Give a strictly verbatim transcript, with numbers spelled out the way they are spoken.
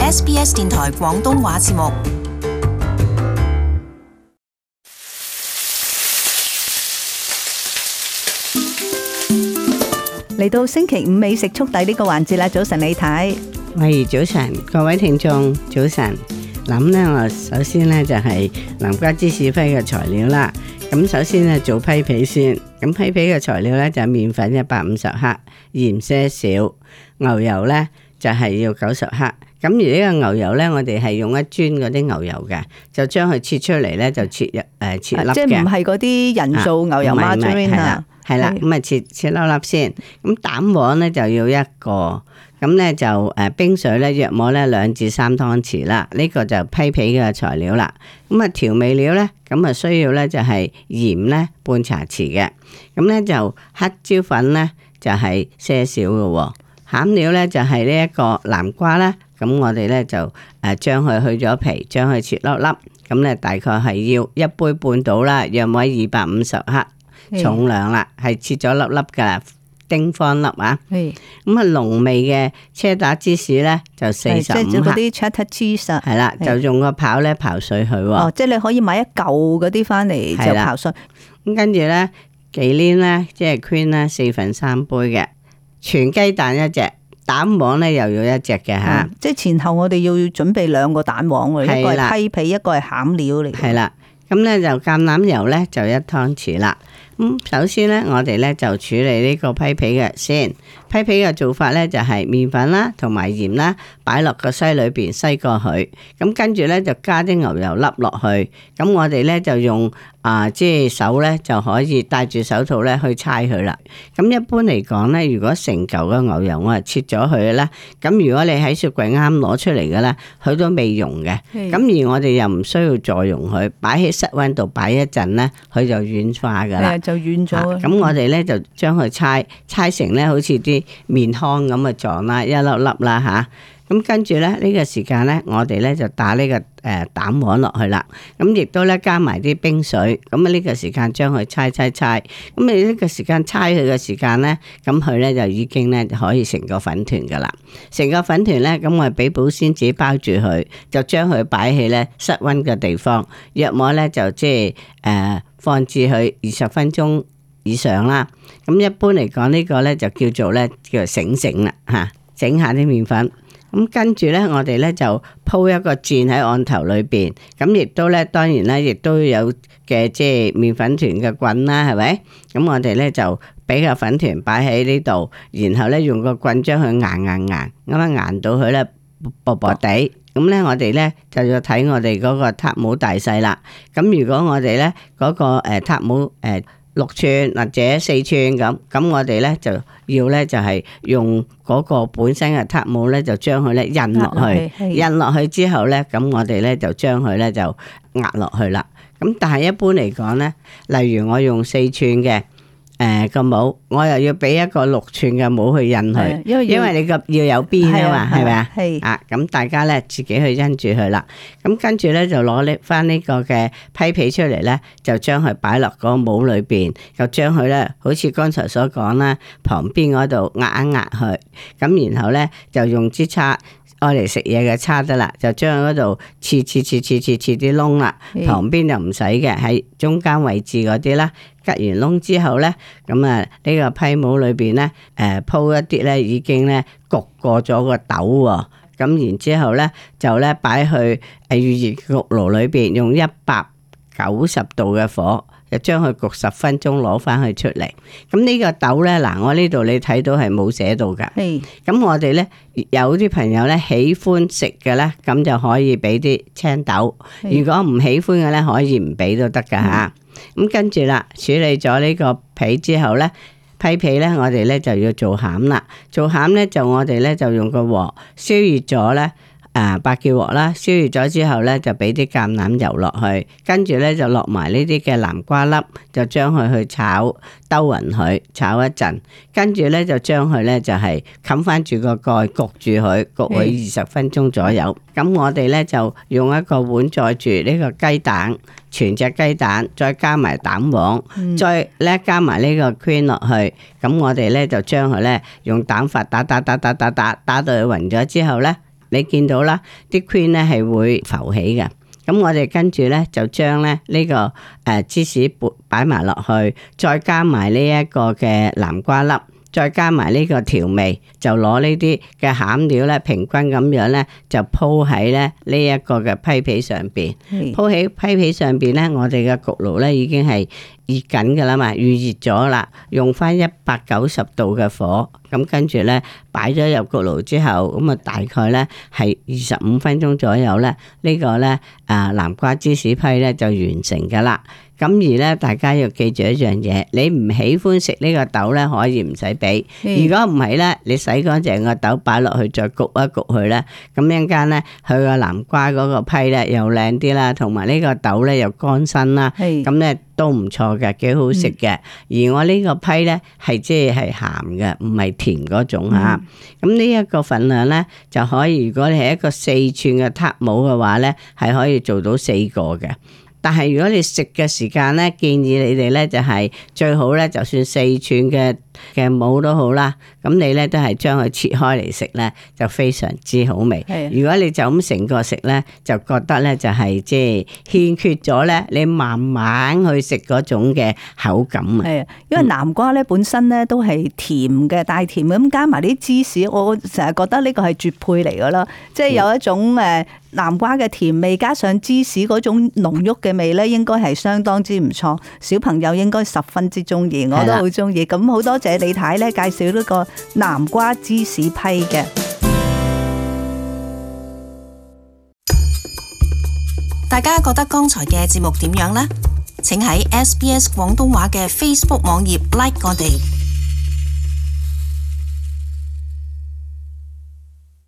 S B S 電台廣東話節目。嚟到星期五美食速遞呢個環節啦，早晨李太。喂，早晨，各位聽眾，早晨。咁呢，我首先呢就係南瓜芝士批嘅材料啦。咁首先呢做批皮先。咁批皮嘅材料呢就係麵粉一百五十克，鹽些少，牛油呢就係要九十克。咁而呢個牛油呢，我哋係用一磚嗰啲牛油嘅，就將佢切出嚟呢，就切入誒、呃、切粒嘅，即係唔係嗰啲人造牛油 margarine 啊？係啦，咁啊切切粒粒先。咁蛋黃呢就要一個，咁呢就誒冰水呢約莫呢兩至三湯匙啦。呢、這個就批皮嘅材料啦。咁啊調味料呢，咁啊需要呢就係鹽呢半茶匙嘅。咁呢就黑椒粉呢就係些少嘅。餡料呢就係呢一個南瓜啦。咁我哋咧就誒將佢去咗皮，將佢切粒粒，咁咧大概係要一杯半到啦，約莫二百五十克重量啦，係切咗粒粒噶啦，丁方粒啊。咁啊濃味嘅車打芝士咧就四十五克。即係嗰啲 cheddar cheese。係啦，就用個刨咧刨碎佢。哦，即係你可以買一嚿嗰啲翻嚟就刨碎。咁跟住咧忌廉咧即係 cream 咧四分三杯嘅，全雞蛋一隻。蛋黃咧又要一隻嘅吓，嗯，即係前後我哋要準備兩個蛋黃喎，一個係批皮，一個係餡料嚟。係啦，咁咧就橄欖油咧就一湯匙啦。咁首先咧我哋咧就處理呢個批皮嘅先。批皮嘅做法咧就係麵粉啦同埋鹽啦擺落個篩裏邊篩過佢，咁跟住咧就加啲牛油粒落去，咁我哋咧就用啊即係手咧就可以戴住手套咧去搓佢啦。咁一般嚟講咧，如果成嚿嘅牛油我係切咗佢嘅咧，咁如果你喺雪櫃啱攞出嚟嘅咧，佢都未溶嘅。咁而我哋又唔需要再溶佢，擺喺室溫度擺一陣咧，佢就軟化噶啦，就軟咗。咁我哋咧就將佢搓搓成咧好似啲麵糠咁嘅狀啦，一粒粒啦吓。咁跟住咧呢個時間咧，我哋咧就打呢個誒蛋黃落去啦。咁亦都咧加埋啲冰水。咁啊呢個時間將佢搓搓搓。咁你呢個時間搓佢嘅時間咧，咁佢咧就已經咧可以成個粉團噶啦。成個粉團咧，咁我哋俾保鮮紙包住佢，就將佢擺喺咧室溫嘅地方，約莫咧就即係誒放置佢二十分鐘以上啦。咁一般嚟講呢個咧就叫做咧叫做醒醒啦吓，整下啲麵粉。咁跟住咧，我哋咧就鋪一個墊喺案頭裏邊，咁亦都咧，當然咧，亦都有嘅即係麵粉團嘅棍啦，係咪？咁我哋咧就俾個粉團擺喺呢度，然後咧用個棍將佢硬硬硬，咁樣硬到佢咧薄薄地。咁咧我哋咧就要睇我哋嗰個塔姆大細啦。咁如果我哋咧嗰個誒塔姆誒六寸或者四寸咁，咁我哋咧就要咧就係用嗰個本身嘅塔姆咧，就將佢咧印落去，印落去之後咧，咁我哋咧就將佢咧就壓落去啦。咁但係一般嚟講咧，例如我用四寸嘅誒個帽，我又要俾一個六寸嘅帽去印佢，因為因為你個要有邊啊嘛，係咪啊？係啊，咁大家咧自己去印住佢啦。咁跟住咧就攞呢翻呢個嘅批皮出嚟咧，就將佢擺落嗰個帽裏邊，就將佢咧好似剛才所講啦，旁邊嗰度壓一壓佢，咁然後咧就用支叉。愛嚟食嘢嘅叉得啦，就將嗰度切切切切切切啲窿啦，旁邊就唔使嘅，喺中間位置嗰啲啦，吉完窿之後咧，咁啊呢個批帽裏邊咧，誒鋪一啲咧已經咧焗過咗個豆喎，咁然之後咧就咧擺去誒預熱焗爐裏邊，用一百九十度嘅火。就將佢焗十分鐘，攞翻佢出嚟。咁呢個豆咧，嗱我呢度你睇到係冇寫到噶。咁我哋咧有啲朋友咧喜歡食嘅咧，咁就可以俾啲青豆。如果唔喜歡嘅咧，可以唔俾都得噶吓。咁跟住啦，處理咗呢個皮之後咧，批皮咧，我哋咧就要做餡啦。做餡咧就我哋咧就用個鑊燒熱咗咧。啊，白叫鑊啦，燒熱咗之後咧，就俾啲橄欖油落去，跟住咧就落埋呢啲嘅南瓜粒，就將佢去炒，兜勻佢，炒一陣，跟住咧就將佢咧就係冚翻住個蓋，焗住佢，焗佢二十分鐘左右。咁我哋咧就用一個碗載住呢個雞蛋，全隻雞蛋，再加埋蛋黃，嗯、再咧加埋呢個 cream 落去。咁我哋咧就將佢咧用蛋法打打打打打打打到佢勻咗之後咧。你見到啦，啲 cream 咧係會浮起嘅。咁我哋跟住咧就將咧呢個誒芝士擺埋落去，再加埋呢一個嘅南瓜粒，再加埋呢個調味，就攞呢啲嘅餡料咧平均咁樣咧就鋪喺咧呢一個嘅批皮上邊。鋪喺批皮上邊咧，我哋嘅焗爐咧已經係熱緊噶啦嘛，預熱咗啦，用翻一百九十度嘅火，咁跟住咧擺咗入焗爐之後，咁啊大概咧係二十五分鐘左右咧，呢個咧啊南瓜芝士批咧就完成噶啦。咁而咧，大家要記住一樣嘢，你唔喜歡食呢個豆咧，可以唔使俾。如果唔係咧，你洗乾淨個豆擺落去，再焗一焗佢咧，咁一陣間咧，佢個南瓜嗰個批咧又靚啲啦，同埋呢個豆咧又乾身啦，咁咧都唔錯嘅，幾好食嘅。嗯、而我呢個批咧係即係係鹹嘅，唔係甜嗰種嚇。咁呢一個份量咧就可以，如果你係一個四寸嘅撻模嘅話咧，係可以做到四個嘅。但係如果你食嘅時間咧，建議你哋咧就係最好咧，就算四寸嘅嘅模都好啦，咁你咧都係將佢切開嚟食咧，就非常之好味。的如果你就咁成個食咧，就覺得咧就係即係欠缺咗咧，你慢慢去食嗰種嘅口感啊。係啊，因為南瓜咧本身咧都係甜嘅，帶甜咁加埋啲芝士，我成日覺得呢個係絕配嚟噶啦，即係有一種誒南瓜嘅甜味，加上芝士嗰種濃郁嘅味咧，應該係相當之唔錯，小朋友應該十分之中意，我都好中意。咁好多謝李太咧介紹呢個南瓜芝士批嘅。大家覺得剛才嘅節目點樣呢？請喺 S B S 廣東話嘅 Facebook 網頁 like 我哋。